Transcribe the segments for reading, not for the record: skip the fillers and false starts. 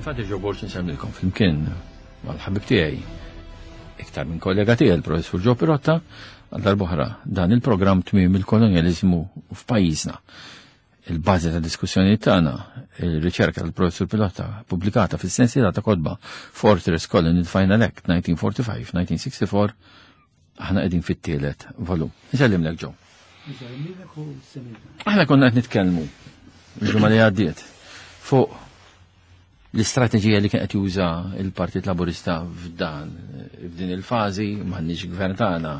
Infatti Joe Borg insemmilkom flimkien mal-ħabib tiegħi iktar minn kollega tiegħi il-professur Joe Pirotta għal darb'oħra dan il-programm tmiem il-kolonjaliżmu f'pajjiżna. Il-bażi ta' diskussjoni tagħna, il-riċerka tal-professur Pirotta pubblikata fis-sensiela ta' kotba Fortress Colony Final Act 1945-1964 aħna qegħdin fit-tielet volum. Nsellimlek Joe. Aħna konna qed nitkellmu il-ġimgħa li għaddiet fuq l-istrateġija li kien qed juża il-Partit Laburista f'dan f'din il-fażi m'għandniex gvern tagħna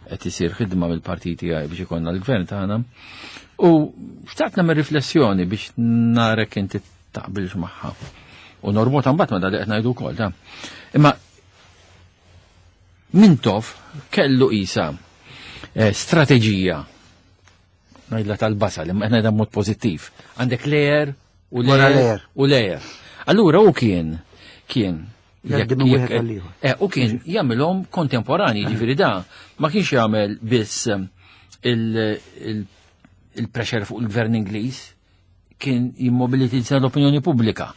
qed isir ħidma mill-partit tiegħi biex ikollna l-gvern tagħna. U xtaqt nagħmel riflessjoni biex narek inti taqbilx magħha. U norbotha mbagħad ma dak li qed ngħidu wkoll ta'. Imma Mintoff kellu isa eh, strateġija ngħidla tal-basal, imma qed ngħidha mod pożittiv. Għandek layer u layer u layer. Allura u kien kien eh, u kien jagħmilhom kontemporani, ġifieri da ma kienx jagħmel biss eh, il-pressure fuq il-gvern Ingliż, kien jimmobilitizza l-opinjoni pubblika.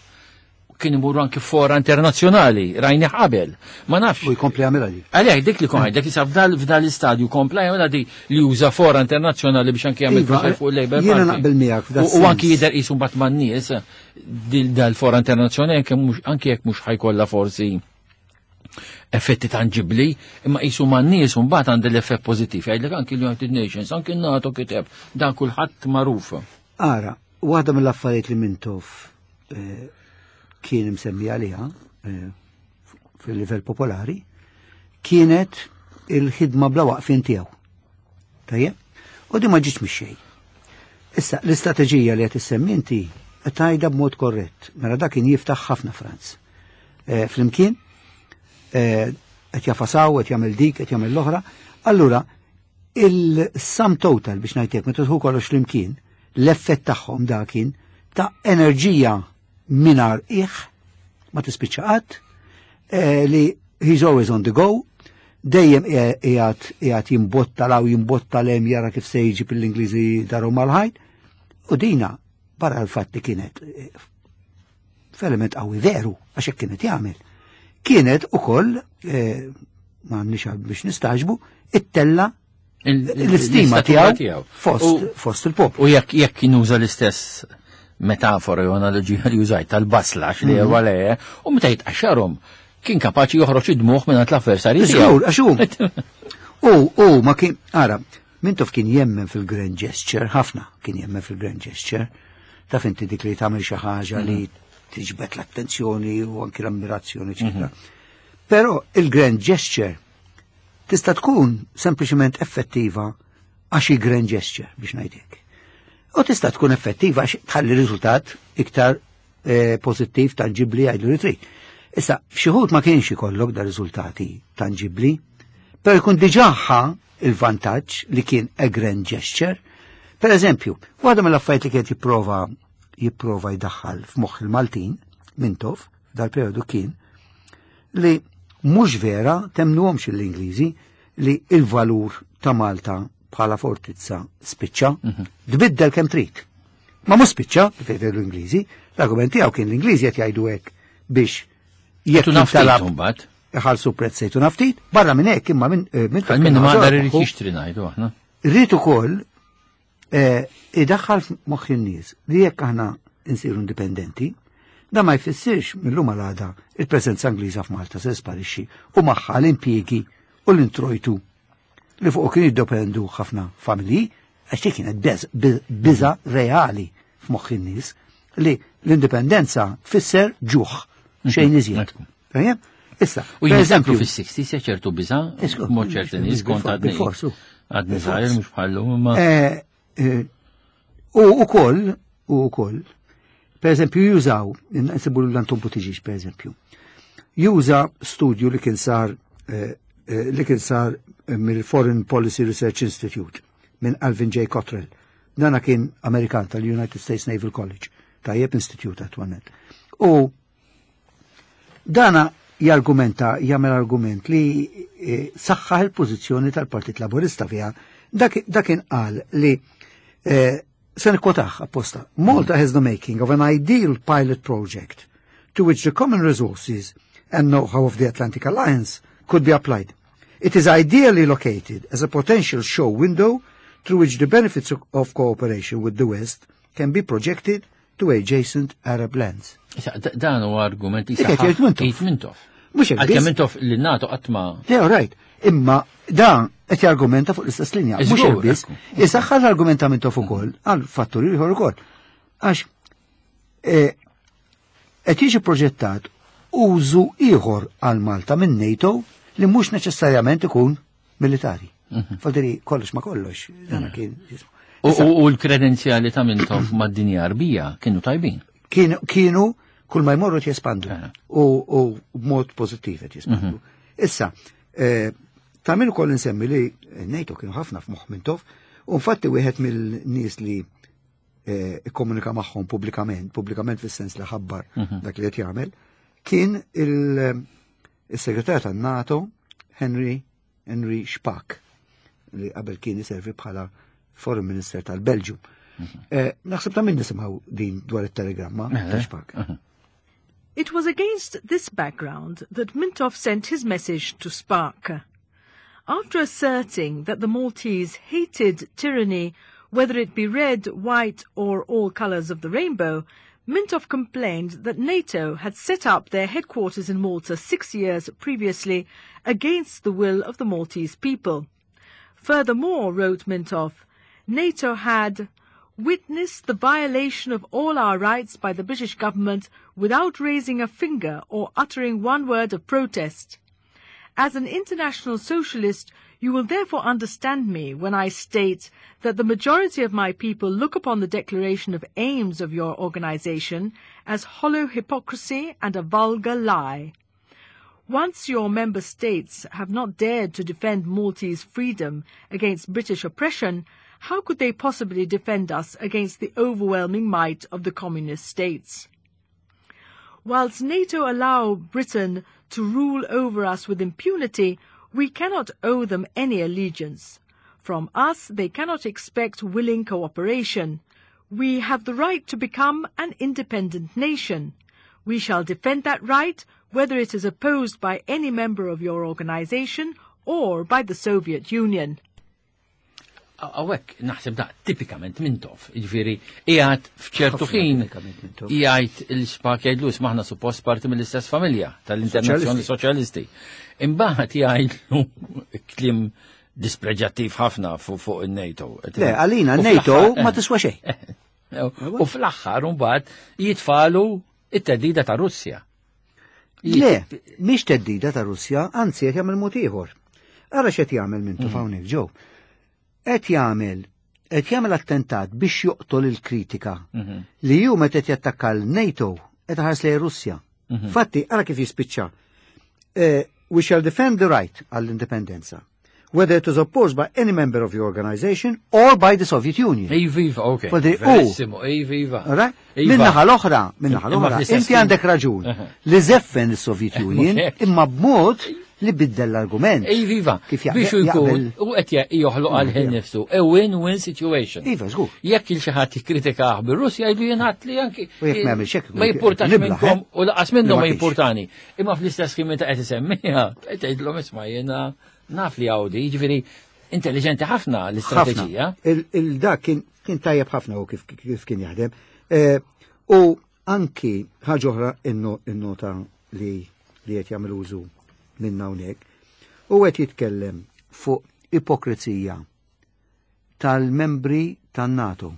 Kien imur anki fora internazzjonali, rajni qabel. Ma nafx. U jkompli jagħmilha di. Għalhekk dik li kon dik li f'dal l-istadju kompla jagħmilha di li juża fora internazzjonali biex anki jagħmel iva, fuq il-Labor Jiena naqbel miegħek U anki jidher qisu mbagħad man-nies dal-fora internazzjonali anke jekk mhux ħajkollha forsi effetti tangibli, imma jisu ma' nies un bat għand l-effett pozittiv. Jgħidlek anki l-United Nations, anki n-NATO kiteb, dan kulħadd magħruf. Ara, waħda mill-affarijiet li Mintoff eh, kien imsemmi għaliha eh, fil-livell popolari, kienet il-ħidma bla waqfin tiegħu. Tajjeb? U di ma ġietx mix-xejn. Issa, l-istrateġija li qed issemmi inti qed tgħidha b'mod korrett. Mela dak kien jiftaħ ħafna Franz. Eh, flimkien, eh, qed jafasaw, qed jagħmel dik, qed jagħmel l-oħra. Allura, il-sum total biex ngħidlek meta tħu kollox flimkien, l-effett tagħhom dak kien ta' enerġija mingħajr qiegħ ma tispiċċa qatt, eh, li he's always on the go, dejjem qiegħed qiegħed jimbotta law jimbotta lem jara kif se jiġi l-Ingliżi daru mal-ħajt. U dina barra l-fatt li kienet eh, f'element qawwi veru għax hekk kienet jagħmel. Kienet ukoll eh, ma nix biex nistaġbu it-tella l-istima tiegħu fost, fost il-poplu. U jekk jekk nuża l-istess metafora jew analoġija li użajt tal-basla li mhm. għale, u meta jitqaxxarhom kien kapaċi joħroġ id-dmuħ minn l-avversarji tiegħu. Għax hu. U u ma kien ara, Mintoff kien jemmen fil-grand gesture, ħafna kien jemmen fil-grand gesture. Taf inti dik li tagħmel xi ħaġa li mhm. tiġbed l-attenzjoni u anki l-ammirazzjoni, eċetera. Mhm. Però il-grand gesture tista' tkun sempliċement effettiva għax hi grand gesture biex ngħidlek. U tista' tkun effettiva għax tħalli riżultat iktar eh, pożittiv tanġibli għajdu li trid. Issa, f'xi ma kienx ikollok da riżultati tanġibli, però jkun diġà ħa il-vantaġġ li kien a grand gesture. Per eżempju, waħda mill-affarijiet li kienet jipprova jipprova jdaħħal f'moħħ il-Maltin Mintoff dal-periodu kien li mhux vera temnuhomx l-Ingliżi li il-valur ta' Malta bħala fortizza spiċċa, mhm. tbiddel kemm trid. Ma mhux spiċċa, kif l-Ingliżi, l-argument tiegħu kien l-Ingliżi qed jgħidu hekk biex jekk jintalab mbagħad iħallsu prezz sejtu naftit, barra minn hekk imma minn eh, minn minn ma dar irid jixtri ngħidu aħna. Rrid ukoll eh, idaħħal f'moħħ in-nies li jekk aħna nsiru indipendenti, da ma jfissirx mill-lum għal il-preżenza Ingliża f'Malta se sparixxi u magħha l-impjiegi u l-introjtu li fuq kien jiddependu ħafna familji, għax dik kienet biża reali f'moħħ in-nies li l-indipendenza tfisser ġuħ xejn iżjed. Issa, u eżempju fis-60 ċertu biża, mod ċerti nies kont għadni. Għadni żgħir mhux bħallu imma. Eh, eh, u ukoll, u ukoll, per eżempju jużaw, nsibu l-Anton Buttigieg per eżempju, juża studju li kien sar eh, li kien sar mill-Foreign Policy Research Institute minn Alvin J. Cottrell. Dana kien Amerikan tal-United States Naval College, tajjeb institute attualment. U Dana jargumenta, jagħmel argument li eh, saħħaħ il-pożizzjoni tal-Partit Laburista fiha. Dak kien qal li eh, se nikkotaħ apposta. Malta has the making of an ideal pilot project. to which the common resources and know-how of the Atlantic Alliance could be applied. It is ideally located as a potential show window through which the benefits of cooperation with the West can be projected to adjacent Arab lands. Dan huwa argument li saħħa Mintoff. Mintoff. Mhux hekk. Għalkemm Mintoff li NATO qatt ma. Le, right. Imma dan qed jargumenta fuq l-istess linja. Mhux hekk biss. Isaħħa l-argument ta' Mintoff ukoll għal fatturi ieħor ukoll. Għax eh, qed jiġi proġettat użu ieħor għal Malta minn NATO li mhux neċessarjament ikun militari. Mhm. Faldiri kollox ma kollox, dan mhm. kien. U l-kredenzjali ta' Mintoff mad-dinja arbija kienu tajbin. Kienu kull ma jmorru jespandu eh. u b'mod pożittiv qed jespandu. Mhm. Issa, eh, ta' min ukoll insemmi li NATO kienu ħafna f'moħħ Mintoff, u infatti wieħed mill-nies li eh, ikkomunika magħhom pubblikament, pubblikament fis-sens li ħabbar mhm. dak li qed jagħmel, kien il-segretarju tan-NATO Henry Henry Spaak li qabel kien iservi bħala Foreign Minister tal-Belġu. Mhm. Eh, naħseb ta' minn nisimgħu din dwar it-telegramma eh, ta' Spaak. Mhm. It was against this background that Mintoff sent his message to Spaak. After asserting that the Maltese hated tyranny, whether it be red, white, or all colours of the rainbow, Mintoff complained that NATO had set up their headquarters in Malta 6 years previously against the will of the Maltese people. Furthermore, wrote Mintoff, NATO had witnessed the violation of all our rights by the British government without raising a finger or uttering one word of protest. As an international socialist, you will therefore understand me when I state that the majority of my people look upon the declaration of aims of your organization as hollow hypocrisy and a vulgar lie. Once your member states have not dared to defend Maltese freedom against British oppression, how could they possibly defend us against the overwhelming might of the communist states? Whilst NATO allow Britain to rule over us with impunity, we cannot owe them any allegiance. From us, they cannot expect willing cooperation. We have the right to become an independent nation. We shall defend that right, whether it is opposed by any member of your organization or by the Soviet Union. Għawek, naħseb da tipikament Mintoff, ġifiri, qiegħed f'ċertu ħin jgħid il-Spaak jgħidlu maħna suppost parti mill-istess familja tal-Internazzjoni Soċjalisti. Imbagħad jgħidlu kliem dispreġattiv ħafna fuq il-NATO. Le, għalina NATO ma tiswa xejn. U fl-aħħar mbagħad jitfalu it-teddida ta' Russja. Le, mhix teddida ta' Russja, anzi qed jagħmel mod ieħor. Ara x'qed jagħmel minn mm. hawnhekk ġew. Qed jagħmel qed jagħmel attentat biex joqtol il-kritika mhm. li ju meta qed jattakka l-NATO qed ħares lejn Russja. Mhm. Fatti, ara kif jispiċċa. Eh, we shall defend the right għall-indipendenza whether it is opposed by any member of your organization or by the Soviet Union. Iva, iva, ok. Verissimo, iva, iva. Minnaħa l-oħra, minnaħa l-oħra, inti għandek raġun li zeffen il-Soviet eh, Union imma b'mod li biddel l-argument. Iva, iva. Kif Biex jkun, u qed joħloq għal ħin nifsu, a win-win situation. Iva, żgur. Jekk il xi ħadd jikkritikah bir-Russja jgħidu jingħad li anki. U jekk ma jagħmilx hekk. Ma jimpurtax eh? minnkom u laqas minnhom ma jimpurtani. Imma fl-istess ħin meta qed isemmiha, qed tgħidlhom isma' jiena naf li għawdi, jiġifieri intelligenti ħafna l-istrateġija. Il-dak kien tajjeb ħafna u kif kien jaħdem. Eh, u anki ħaġa oħra innota li li qed jagħmel użu minn hawnhekk u qed jitkellem fuq ipokrizija tal-membri tan-NATO.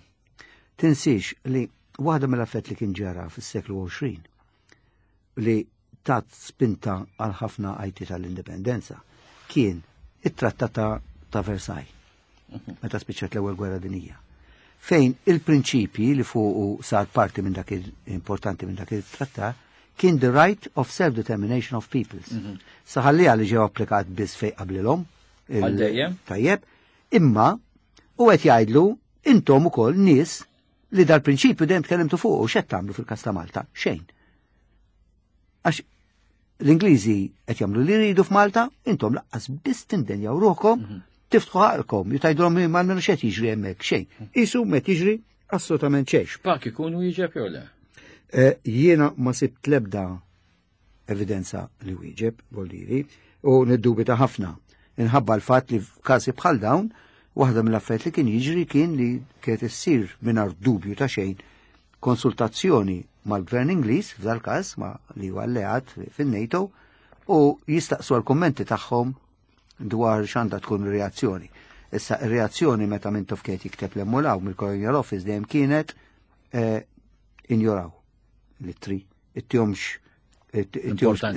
Tinsiex li waħda mill-affett li kien ġara fis-seklu 20 li tat spinta għal ħafna għajti tal-indipendenza kien it-trattat ta' Versailles, meta spiċċat l-ewwel gwerra dinija. Fejn il-prinċipji li fuqu sar parti minn dak importanti minn dak il-trattat kien the right of self-determination of peoples. Mhm. Saħalli li ġew applikat biss fej qablilhom. Tajjeb, imma u qed jgħidlu intom ukoll nies li dal-prinċipju dejjem tkellimtu fuq u x'qed tagħmlu fil-każ ta' Malta? Xejn. Għax l-Ingliżi qed jagħmlu li jridu f'Malta, intom laqqas biss tindenjaw ruħkom, mhm. tiftħu ħalkom, jutajdulhom ma nagħmlu xejn jiġri hemmhekk, xejn. Isu met jiġri assolutament xejn. X'pak ikunu jiġeb jew le? Jiena ma sibt l-ebda evidenza li wieġeb, voldiri, u niddubita ħafna. Inħabba l-fatt li f'każi bħal dawn, waħda mill-affarijiet li kien jiġri kien li kienet issir mingħajr dubju ta' xejn konsultazzjoni mal-Gvern Ingliż, f'dal-każ ma li huwa alleat fin-NATO, u jistaqsu għal-kummenti tagħhom dwar x'għandha tkun ir-reazzjoni. Issa ir-reazzjoni meta Mintoff kienet jikteb l-emmulaw mill-Colonial Office dejjem kienet injoraw l-ittri, ittihomx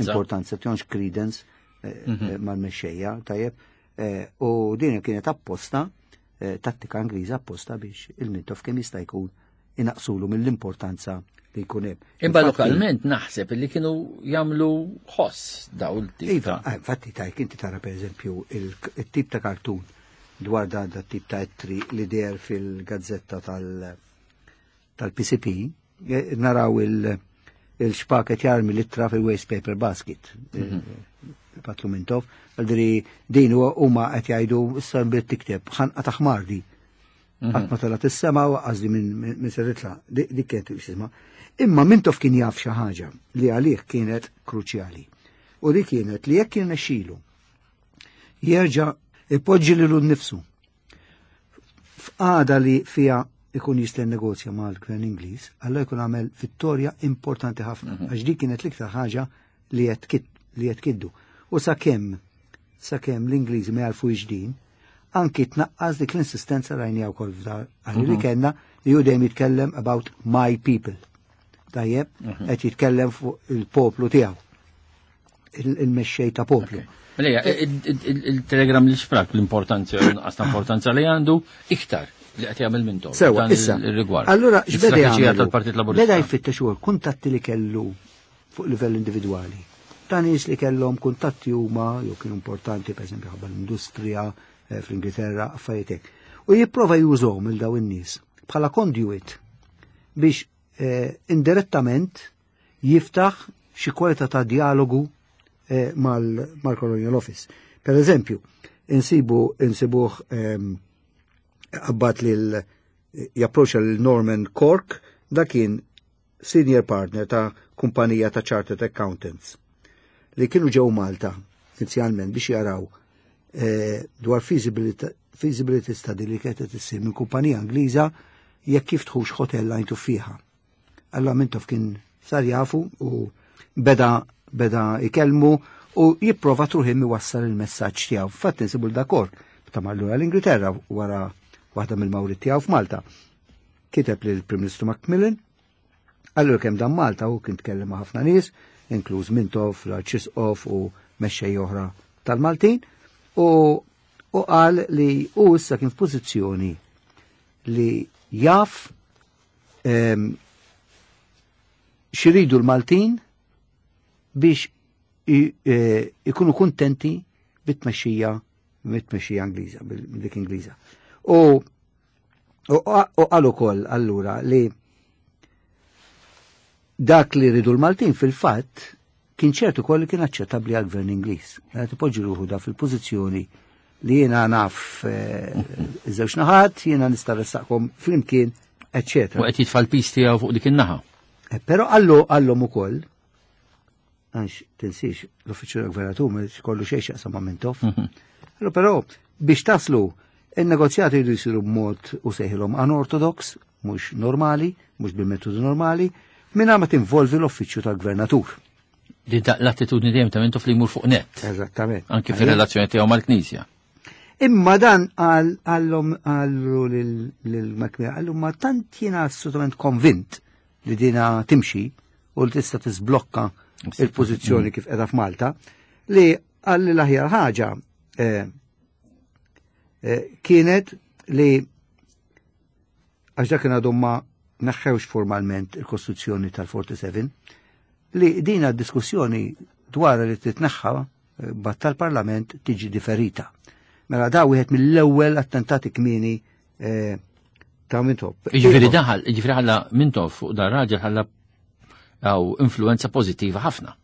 importanza, ittihomx credence mal-mexxejja, tajjeb. U din kienet apposta, tattika Ingliża apposta biex il-Mintoff kemm jista' jkun inaqsulu mill-importanza li jkun hemm. Imma lokalment naħseb li kienu jagħmlu ħoss daw il-tip. Iva, infatti tajk inti tara pereżempju il-tip ta' kartun dwar da tip ta' ittri li deher fil-gazzetta tal-PCP, naraw il-Spaak jarmi l-ittra fil-waste paper basket. Patlu Mintoff, għaldri din huma qed jgħidu issa bdiet tikteb ħanqa ta' ħmardi. Qatt ma telgħet is-sema u għażli minn se titla'. Dik kienet x'isma. Imma Mintoff kien jaf xi ħaġa li għalih kienet kruċjali. U dik kienet li jekk kien nexxilu jerġa' ipoġġi lilu nnifsu f'qagħda li fiha ikun jista' negozja mal-Gvern Ingliż, allura jkun għamel vittorja importanti ħafna, għax dik kienet l-iktar ħaġa li qed kiddu. U sakemm l-Ingliżi ma jarfu din, anki tnaqqas dik l-insistenza rajnija wkoll f'dar għalli li kellna li hu dejjem jitkellem about my people. Tajjeb, qed jitkellem fuq il-poplu tiegħu. Il-mexxej ta' poplu. Lejja, il-telegram li Spaak l-importanza, nuqqas ta' importanza li għandu iktar li qed jagħmel Mintoff. Sewa, issa. Il-rigward. Allura, x'beda L-istrateġija jagħmel? tal-Partit Laburista. Beda jfittex ukoll kuntatti li kellu fuq livell individwali. Ta' nies li kellhom kuntatti huma jew kienu importanti, pereżempju ħabba l-industrija fl-Ingilterra, affarijiet hekk. U jipprova jużhom il daw in-nies bħala conduit biex indirettament jiftaħ xi kwalità ta' dialogu mal-Colonial Office. Per eżempju, insibuh abbat lil japproċċa lil Norman Cork, da kien senior partner ta' kumpanija ta' Chartered Accountants li kienu ġew Malta inizjalment biex jaraw dwar feasibility study li kienet qed issir minn kumpanija Ingliża jekk jiftħux hotel Għajn Tuffieħa. Allora Mintoff kien sar jafu u beda ikellmu u jipprova truħim iwassal il-messaġġ tiegħu. Fatt insibu l-dakor ta' marlu l-Ingilterra wara waħda mill-mawrit tiegħu f'Malta. Kiteb lil Prim Ministru Macmillan, allura kemm dan Malta u kien tkellem ma' ħafna nies, inkluż Mintoff, l-Arċisqof u mexxej oħra tal-Maltin, u qal li hu issa kien f'pożizzjoni li jaf xiridu l-Maltin biex ikunu kontenti bit-tmexxija Ingliża, dik Ingliża. U qal ukoll allura li dak li ridu l-Maltin fil-fatt kien ċertu koll li kien aċċettabbli għall-Gvern Ingliż. Mela tipoġġi ruħu da fil-pożizzjoni li jiena naf iż-żewġ naħat, jiena nista' ressaqkom flimkien, eċċetera. U qed jitfa' l-pis tiegħu fuq dik in-naħa. Però għallhom ukoll, għax tinsiex l-uffiċċju tal-gvernatur ma kollu xejn x'jaqsam ma' Mintoff. Allora, però biex taslu in-negozjati jridu jsiru b'mod u sejħilhom unorthodox, mhux normali, mhux bil-metodu normali, mingħajr ma tinvolvi l-uffiċċju tal-gvernatur. Li l-attitudni dejjem ta' Mintoff li jmur fuq net. Eżattament. Anki fir-relazzjoni tiegħu mal-Knisja. Imma dan għallhom għallu lil Macmillan, għallu ma tant jiena assolutament konvint li dina timxi u li tista' tisblokka il-pożizzjoni kif qiegħda f'Malta, li għalli l-aħjar ħaġa kienet li għax dak kien għadhom ma neħħewx formalment il-Kostituzzjoni tal-47, li dina diskussjoni dwar li titneħħa bat tal-Parlament tiġi differita. Mela da wieħed mill-ewwel attentati kmieni ta' Mintoff. Jiġifieri daħal, jiġifieri ħalla Mintoff fuq dar raġel ħalla għaw influenza pożittiva ħafna.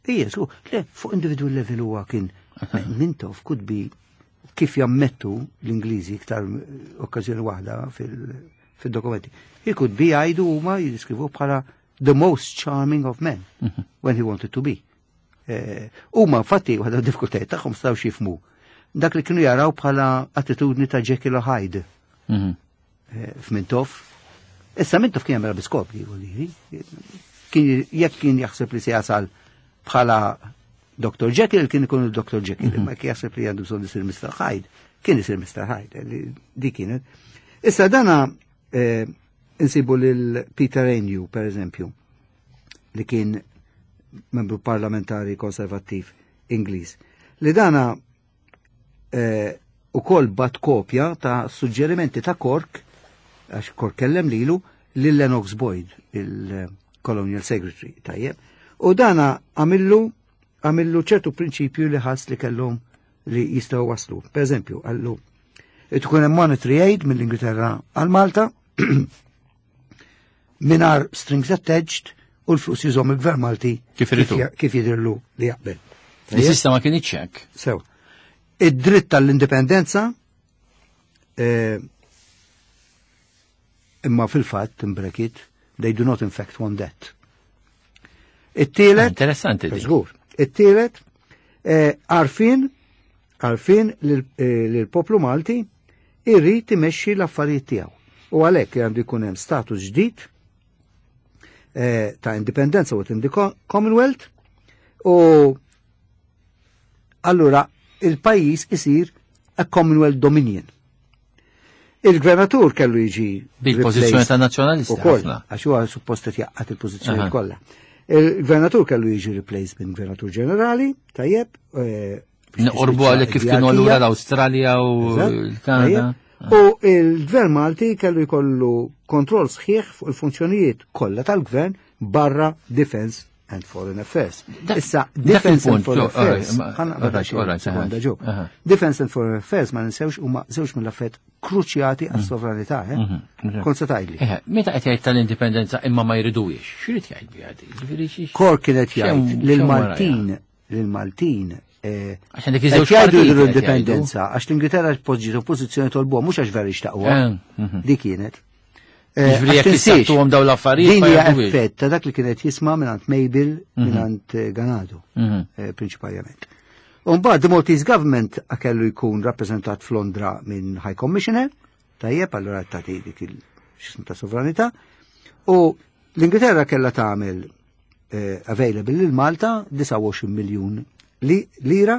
Ija, su, le, fuq individual level huwa kien Mintoff could be kif jammettu l-Ingliżi iktar okkażjoni waħda fil-dokumenti. He could be jgħidu huma jiddeskrivu bħala the most charming of men when he wanted to be. Huma infatti waħda diffikultajiet tagħhom stgħu jifhmu dak li kienu jaraw bħala attitudni ta' Jekyll u Hyde f'Mintoff. Issa Mintoff kien jagħmilha bi skop li kien jekk kien jaħseb li se jasal bħala Dr. Jekyll kien ikun il-Dr. Jekyll, imma kien jaħseb li għandu bżonn isir Mr. Hyde, kien isir Mr. Hyde, li di kienet. Issa dana insibu lil Peter Ainhew, per eżempju, li kien membru parlamentari konservattiv Ingliż, li dana ukoll bagħat kopja ta' suġġerimenti ta' Kork, għax Kork kellem lilu, lil Lennox Boyd, il-Colonial Secretary, tajjeb. U dana għamillu ċertu prinċipju li ħass li kellhom li jistgħu waslu. Per eżempju, għallu, tkun hemm monetary aid mill-Ingilterra għal Malta mingħajr strings attached u l-flus jużahom il-Gvern Malti Kif iridu. Kif jidhirlu li jaqbel. Il-sistema ma kienx hekk. Sew. Id-dritt tal-indipendenza imma fil-fatt, in bracket, they do not in fact want that. It-tielet. Interessanti di. Żgur. It-tielet, għarfien li l-poplu Malti irrid imexxi l-affarijiet tiegħu. U għalhekk għandu jkun hemm status ġdid ta' indipendenza within the Commonwealth u allura il-pajjiż isir a Commonwealth Dominion. Il-gvernatur kellu jiġi Bil-pożizzjoni replaced ta' nazzjonalisti ukoll, ħafna. għax huwa suppost qed jaqgħad il-pożizzjoni kollha. Il-gvernatur kellu jiġi replaced minn gvernatur ġenerali, tajjeb, biex Noqorbu tispiċċa għalek kif kienu il-ġerarkija. allura l-Awstralja u Eżatt, l-Kanada. tajjeb. U il-gvern Malti kellu jkollu kontroll sħiħ fuq il-funzjonijiet kollha tal-gvern barra Defense and Foreign Affairs. Issa, Dak Defense and il-punt, Foreign jo, Affairs, alright, ħa naqbad alright, xi alright, sekonda, aha, ġo. aha. Defense and Foreign Affairs ma ninsewx huma żewġ mill-affarijiet kruċjati għas-sovranità, eh? Kont se tgħidli. Meta qed jgħid tal-indipendenza imma ma jridux, x'irid jgħid biha di? Ġifieri Kork kienet jgħid x'hemm lil-Maltin, wara? lil-Maltin, Għax għandek iż-żewġ qed jgħidu partiti qed jgħidu. l-indipendenza, għax l-Ingilterra poġġiet oppożizzjoni tolbuha mhux għax veru xtaqwa. Di kienet. Ġifieri Għax jekk tinsiex, issattuhom dawn l-affarijiet din ma hija jgħidux. effett ta' dak li kienet jisma' mingħand Mabel, mingħand Ganado, prinċipalment. U mbagħad the Maltese government kellu jkun rappreżentat f'Londra minn High Commissioner, tajjeb, allura tagħti dik il-xismu ta' sovranità, u l-Ingilterra kellha tagħmel available lil Malta 29 miljun lira,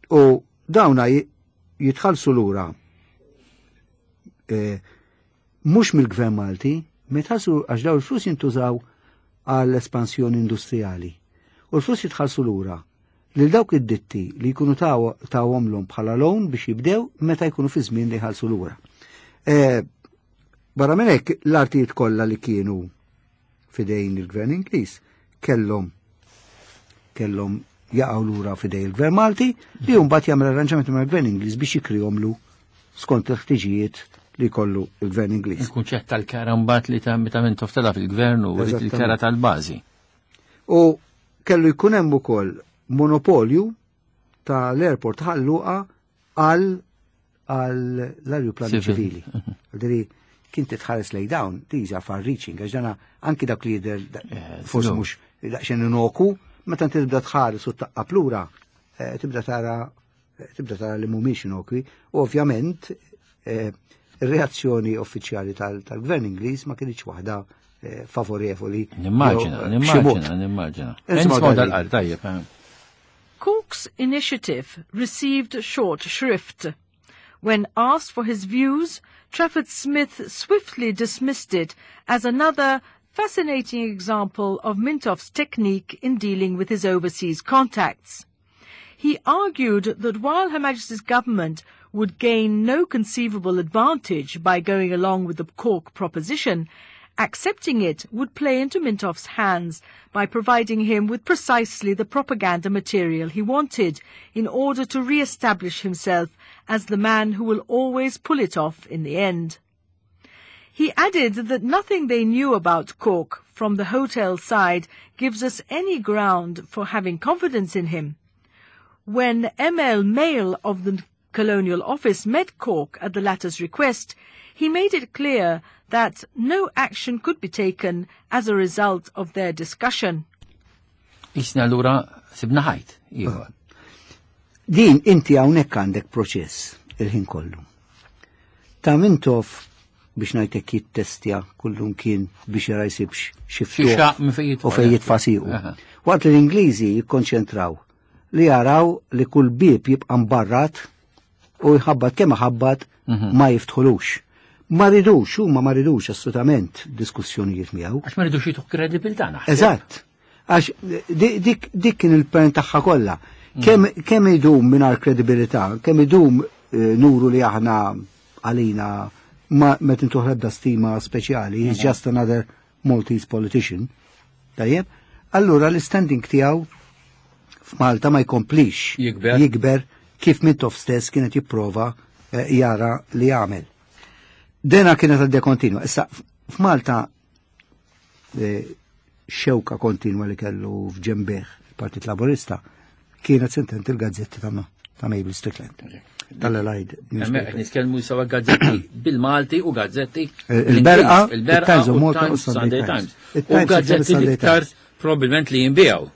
u dawna jitħallsu lura mhux mill-Gvern Malti, ma jitħallsu għax daw il-flus jintużaw għall-espansjoni industrijali. U l-flus jitħallsu lura lil dawk id-ditti li jkunu tawhomlhom bħala loan biex jibdew meta jkunu fi żmien li jħallsu lura. Barra minn hekk l-artijiet kollha li kienu fidejn il-Gvern Ingliż kellhom jaqgħu lura fidejn il-Gvern Malti li mbagħad jagħmel arranġamenti mal-Gvern Ingliż biex jikrihomlu skont il-ħtiġijiet li jkollu il-Gvern Ingliż. Il-kunċett tal-kera mbagħad li ta' meta Mintoff tela' fil-gvern u rrid il-kera tal-bażi. U kellu jkun hemm ukoll monopolju tal-airport Ħal Luqa għal l-ajruplani Civil. ċivili. Għaldiri, kien titħares lej dawn, these are far reaching, għax dana anki dak li jidher forsi mhux daqsxejn inoku, meta inti tibda tħares u taqqab lura, tibda tara li mhumiex inokwi, u ovvjament ir-reazzjoni uffiċjali tal-Gvern Ingliż ma kienx waħda favorevoli. Nimmaġina, Jew, nimmaġina, b'xi mod. nimmaġina. Insomma, Insomma, dal- dal-qar, tajjeb. Cork's initiative received short shrift. When asked for his views, Trafford Smith swiftly dismissed it as another fascinating example of Mintoff's technique in dealing with his overseas contacts. He argued that while Her Majesty's government would gain no conceivable advantage by going along with the Cork proposition, accepting it would play into Mintoff's hands by providing him with precisely the propaganda material he wanted in order to re-establish himself as the man who will always pull it off in the end. He added that nothing they knew about Cork from the hotel side gives us any ground for having confidence in him. When M.L. Mail of the Colonial Office met Cork at the latter's request, He made it clear that no action could be taken as a result of their discussion. Isna allura sibna ħajt, ieħor. Din inti hawnhekk għandek proċess il-ħin kollu. Ta' Mintoff biex ngħidlek jittestja kullum kien biex jara jsibx xi ftuħ u fejn jitfa' siequ. Waqt li l-Ingliżi jikkonċentraw li jaraw li kull bieb jibqa' mbarrat u jħabbat kemm ħabbat ma jiftħulux. Ma ridux, huma ma ridux assolutament diskussjonijiet miegħu. Għax ma ridux jituh kredibilità naħseb. Eżatt. Għax dik kien il-pern tagħha kollha. Kemm idum mingħajr kredibilità, kemm idum nuru li aħna għalina ma tintuħ ebda stima speċjali, he's just another Maltese politician. Tajjeb? Allura l-standing tiegħu f'Malta ma jkomplix Jikber. jikber kif Mintoff stess kienet jipprova jara li jagħmel. Dena kienet għaddejja kontinwa. Issa f'Malta xewka kontinwa li kellu f'ġembieħ il-Partit Laburista kienet sentent il-gazzetti ta' Mabel Strickland. Tal-Allied Newspaper. Nitkellmu sawa gazzetti bil-Malti u gazzetti Il-Berqa, il-Berqa il-Times of u Malta u Times Sunday Sunday Times. Times. U Il-Times gazzetti Sunday l-iktar Times. probabbilment li jinbijaw.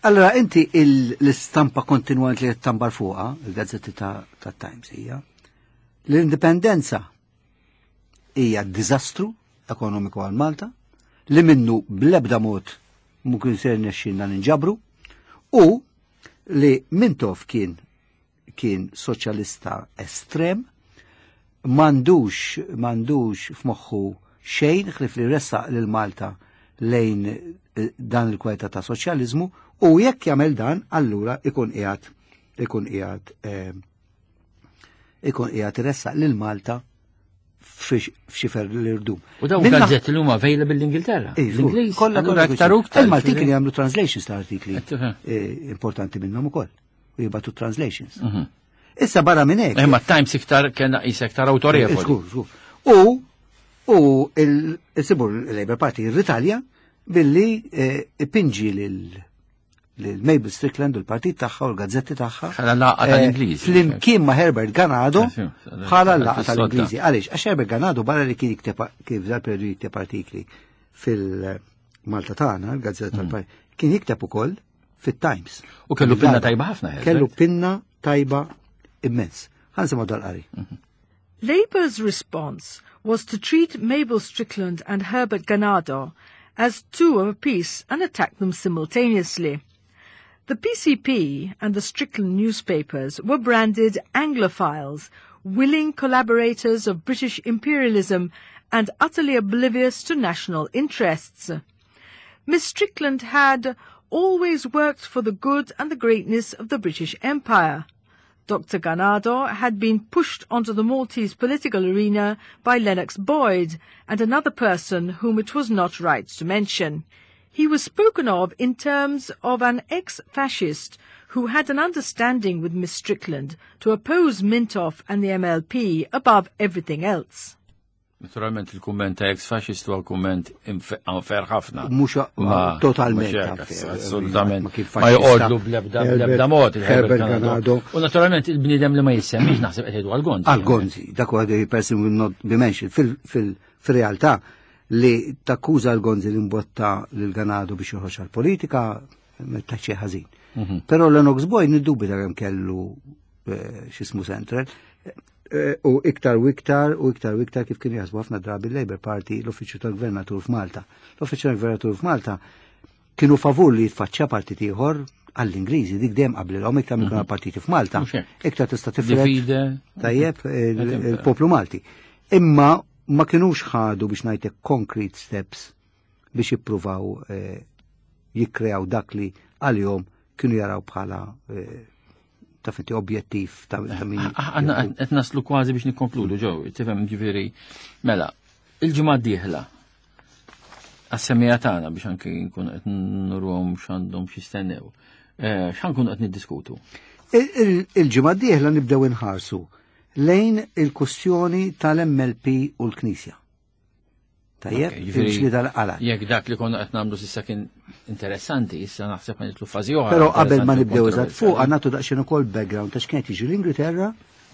Allora, inti l-istampa kontinwant li tambar fuqa, il-gazzetti ta' Times hija, l-indipendenza hija diżastru ekonomiku għal Malta, li minnu bl-ebda mod mu kien ser nexxinna ninġabru, u li Mintoff kien soċjalista estrem, mandux f'moħħu xejn ħlief li ressaq lil Malta lejn dan il-kwalità ta' soċjaliżmu, u jekk jagħmel dan, allura ikun qiegħed iressaq lil Malta f'xifer l-irdum. U dawn gazzetti li huma available l-Ingilterra. Iva, L-Ingliż, kollha allura kollha aktar u aktar. Il-Maltin kienu jagħmlu translations ta' artikli, Qed tifhem. importanti minnhom ukoll. U jibgħatu translations. Issa barra minn hekk. Imma Times iktar kien qis iktar autorevoli. Żgur, żgur. U il-sibur il-Labour Party irritalja billi ipinġi lil Mabel Strickland u l-partit tagħha u l-gazzetti tagħha. Bħala laqgħa tal-Ingliżi. Flimkien ma' Herbert Ganado Sì, sì, bħala laqgħa fis-sodda. tal-Ingliżi. Għaliex? Għax Herbert Ganado barra li kien jikteb kif dal-periodu jikteb artikli fil-Malta tagħna, l-gazzetta tal-partit, kien jikteb ukoll fit-Times. U kellu pinna tajba ħafna, Herbert. Kellu pinna tajba immens. Ħa nsimgħu dal-qari. Labour's response was to treat Mabel Strickland and Herbert Ganado as two of a piece and attack them simultaneously. The PCP and the Strickland newspapers were branded Anglophiles, willing collaborators of British imperialism and utterly oblivious to national interests. Miss Strickland had always worked for the good and the greatness of the British Empire. Dr. Ganado had been pushed onto the Maltese political arena by Lennox Boyd and another person whom it was not right to mention. He was spoken of in terms of an ex-fascist who had an understanding with Miss Strickland to oppose Mintoff and the MLP above everything else. Naturalment il-kumment ta' ex-fascist huwa kumment unfair ħafna. Mhux totalment Mhux hekk, unfair. assolutament. Ma kien Ma faxxista. joqogħdu bl-ebda mod il-Herbert Herbert Ganado. Ganado. U naturalment il-bniedem li ma jissemmix naħseb qed jgħidu għal-Gonzi. Għal-Gonzi, dak huwa the person will not be mentioned. Fil-realtà li takkuża l-Gonzi li mbotta lil Ganado biex joħroġ għal-politika, ma taċċi ħażin. Però Lennox Boyd niddubita kemm kellu x'ismu Central. U iktar u iktar u iktar u iktar kif kienu jaħsbu ħafna drabi l-Labour Party l-Uffiċċju tal-Gvernatur f'Malta. L-Uffiċċju tal-Gvernatur f'Malta kienu favur li jitfaċċa partit ieħor għall-Ingliżi, dik dejjem qablilhom iktar minn kienu partiti f'Malta. Mhux hekk. Iktar tista' tifred Divide. tajjeb Qed il-poplu Malti. Imma ma kinux ħadu biex ngħidlek concrete steps biex jippruvaw jikkreaw dak li għalihom kienu jaraw bħala ta' finti objettiv ta' min Għanna qed naslu kważi biex nikkonkludu, ġew, tifhem ġifieri. Mela, il-ġimgħa d-dieħla għas-semija tagħna biex anki nkunu qed nurhom x'għandhom x'jistennew. X'ħankunu qed niddiskutu? Il-ġimgħa d-dieħla nibdew inħarsu lejn il-kwestjoni tal-MLP u l-Knisja. Tajjeb, Ok, ġifieri il-ġlieda l-qala. Jekk dak li konna qed nagħmlu s'issa kien interessanti, issa naħseb ma nitlu fażi oħra. Però qabel ma interessanti u nibdew eżatt fuq, kontroversjali. għandna nagħtu daqsxejn ukoll background ta' x'kien jiġi l-Ingilterra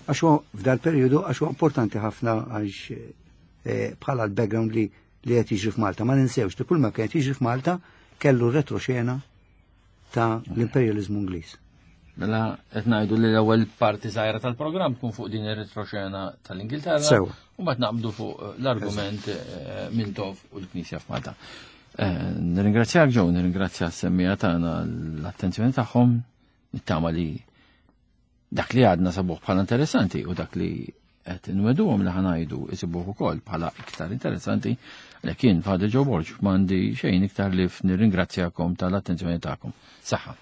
Għax huwa f'dal periodu għax huwa importanti ħafna għax eh, bħala l-background li li qed jiġri f'Malta. Ma ninsewx li kull ma kien qed jiġri f'Malta kellu retroxena ta' l-imperializmu Ingliż. Mela qed ngħidu li l-ewwel parti żgħira tal-programm tkun fuq din ir-retroxena tal-Ingilterra. Sewa. U mbagħad naqbdu fuq eh, l-argument eh, Mintoff u l-Knisja f'Malta. Eh, nirringrazzjak Joe, nirringrazzja s-semmija tagħna l-attenzjoni tagħhom, nittama li dak li għadna sabuh bħala interessanti u dak li qed nweduhom li ħanajdu isibuh ukoll bħala iktar interessanti, għalhekk jien Father Joe Borg m'għandi xejn iktar li nirringrazzjakom tal-attenzjoni tagħkom. Saħħa.